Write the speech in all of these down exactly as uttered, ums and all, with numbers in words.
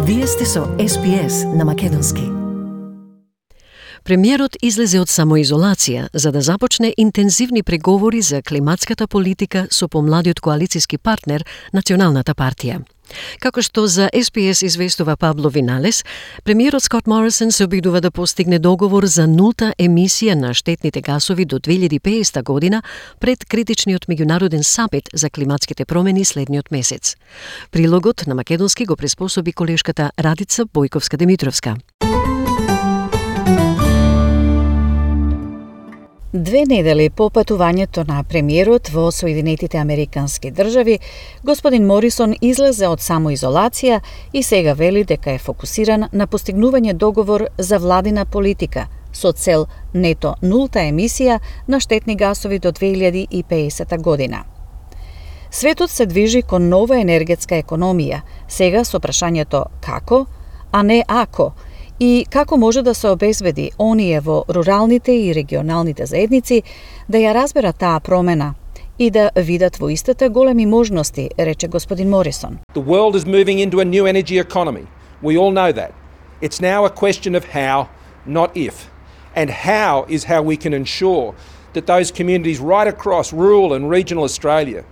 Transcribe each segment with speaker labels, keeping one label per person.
Speaker 1: Вие сте со Ес Би Ес на македонски. Премиерот излезе од самоизолација за да започне интензивни преговори за климатската политика со помладиот коалициски партнер Националната партија. Како што за Ес Би Ес известува Пабло Виналес, премиерот Скот Морисон се обидува да постигне договор за нулта емисија на штетните гасови до две илјади и педесета година пред критичниот меѓународен самит за климатските промени следниот месец. Прилогот на македонски го приспособи колешката Радица Бојковска-Демитровска.
Speaker 2: Две недели по патувањето на премиерот во Соединетите Американски држави, господин Морисон излезе од самоизолација и сега вели дека е фокусиран на постигнување договор за владина политика со цел нето нулта емисија на штетни гасови до две илјади и педесета година. Светот се движи кон нова енергетска економија, сега со прашањето како, а не ако, и како може да се обезбеди оние во руралните и регионалните заедници да ја разберат таа промена и да видат во истата големи можности, рече господин Морисон.
Speaker 3: The world is moving into a new energy economy. We all know that. It's now a question of how, not if. And how is how we can ensure that those communities right across rural and regional Australia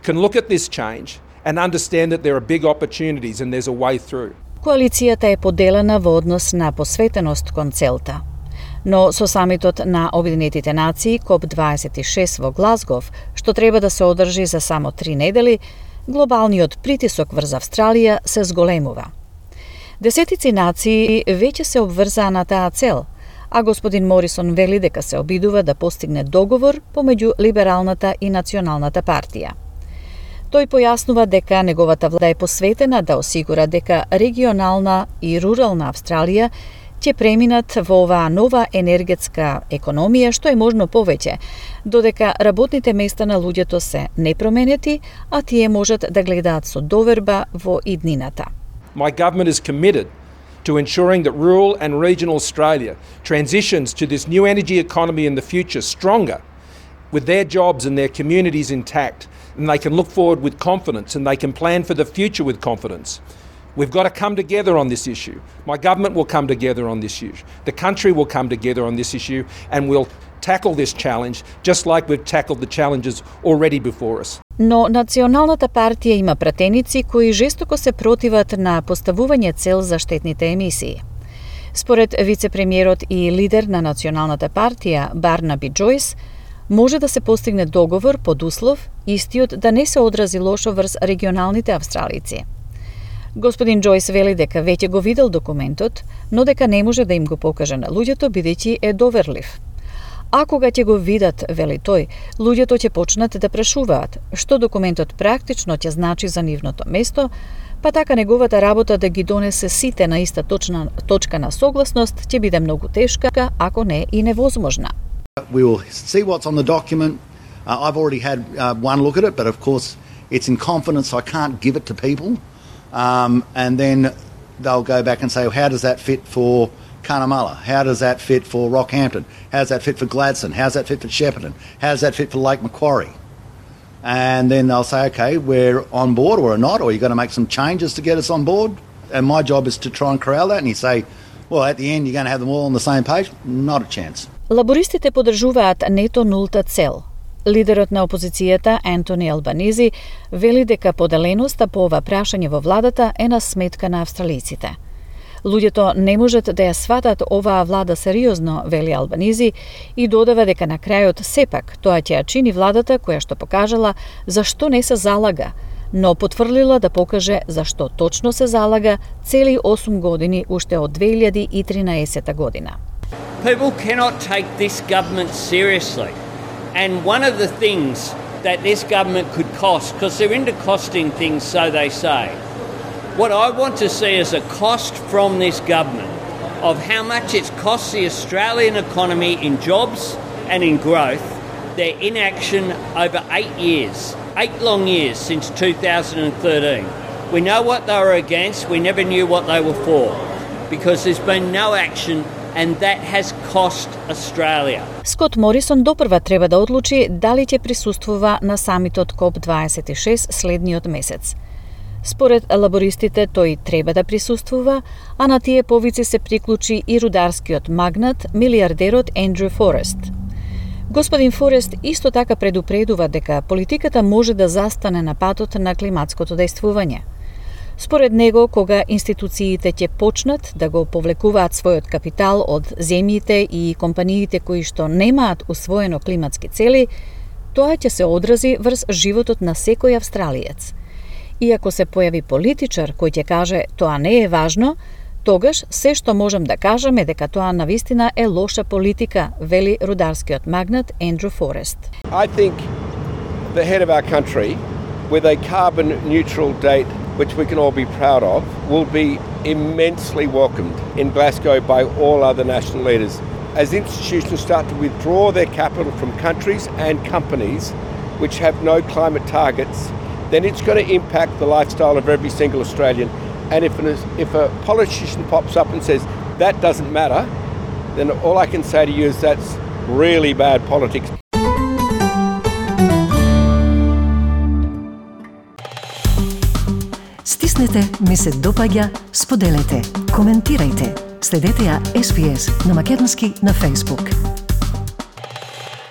Speaker 3: can look at this change and understand that there are big opportunities and there's a way through.
Speaker 2: Коалицијата е поделена во однос на посветеност кон целта. Но со самитот на Обединетите нации коп дваесет и шест во Глазгов, што треба да се одржи за само три недели, глобалниот притисок врз Австралија се зголемува. Десетици нации веќе се обврзаа на таа цел, а господин Морисон вели дека се обидува да постигне договор помеѓу Либералната и Националната партија. Тој појаснува дека неговата влада е посветена да осигура дека регионална и рурална Австралија ќе преминат во оваа нова енергетска економија што е можно повеќе, додека работните места на луѓето се непроменети, а тие можат да гледаат со доверба во иднината.
Speaker 3: My government is committed to ensuring that rural and regional Australia transitions to this new energy economy in the future stronger, with their jobs and their communities intact, and they can look forward with confidence and they can plan for the future with confidence. We've got to come together on this issue. My government will come together on this issue. The country will come together on this issue and we'll tackle this challenge just like we've tackled the challenges already before us.
Speaker 2: Но Националната партија има пратеници кои жестоко се противат на поставување цел за штетните емисии. Според вице-премиерот и лидер на Националната партија Барнаби Џојс, може да се постигне договор под услов истиот да не се одрази лошо врз регионалните австралици. Господин Џојс вели дека веќе го видел документот, но дека не може да им го покаже на луѓето бидејќи е доверлив. А кога ќе го видат, вели тој, луѓето ќе почнат да прашуваат што документот практично ќе значи за нивното место, па така неговата работа да ги донесе сите на иста точна точка на согласност ќе биде многу тешка, ако не и невозможна.
Speaker 4: We will see what's on the document. Uh, I've already had uh, one look at it, but of course it's in confidence, so I can't give it to people. Um, and then they'll go back and say, well, how does that fit for Cunnamulla? How does that fit for Rockhampton? How does that fit for Gladstone? How does that fit for Shepparton? How does that fit for Lake Macquarie? And then they'll say, okay, we're on board or not, or you're going to make some changes to get us on board. And my job is to try and corral that. And you say, well, at the end, you're going to have them all on the same page? Not a chance.
Speaker 2: Лабористите подржуваат нето нулта цел. Лидерот на опозицијата Ентони Албанизи вели дека поделеноста по ова прашање во владата е на сметка на австралиците. Луѓето не можат да ја сватат оваа влада сериозно, вели Албанизи, и додава дека на крајот сепак тоа ќе ја чини владата која што покажала зашто не се залага, но потврлила да покаже зашто точно се залага цели осум години уште од две илјади и тринаесета година.
Speaker 5: People cannot take this government seriously. And one of the things that this government could cost, because they're into costing things, so they say, what I want to see is a cost from this government of how much it's cost the Australian economy in jobs and in growth, their inaction over eight years, eight long years since two thousand thirteen. We know what they were against, we never knew what they were for, because there's been no action and that has cost Australia.
Speaker 2: Скот Морисон допрва треба да одлучи дали ќе присуствува на самитот коп дваесет и шест следниот месец. Според лабористите тој треба да присуствува, а на тие повици се приклучи и рударскиот магнат, милиардерот Ендрю Форест. Господин Форест исто така предупредува дека политиката може да застане на патот на климатското дејствување. Според него, кога институциите ќе почнат да го повлекуваат својот капитал од земјите и компаниите кои што немаат усвоено климатски цели, тоа ќе се одрази врз животот на секој австралиец. И ако се појави политичар кој ќе каже тоа не е важно, тогаш се што можам да кажам е дека тоа навистина е лоша политика, вели рударскиот магнат Ендрю Форест.
Speaker 6: I think the head of our country, with a carbon neutral date which we can all be proud of, will be immensely welcomed in Glasgow by all other national leaders. As institutions start to withdraw their capital from countries and companies which have no climate targets, then it's going to impact the lifestyle of every single Australian. And if, an, if a politician pops up and says, that doesn't matter, then all I can say to you is that's really bad politics.
Speaker 1: Стиснете, ми се допаѓа, споделете, коментирајте. Следете ја Ес Би Ес на македонски на Facebook.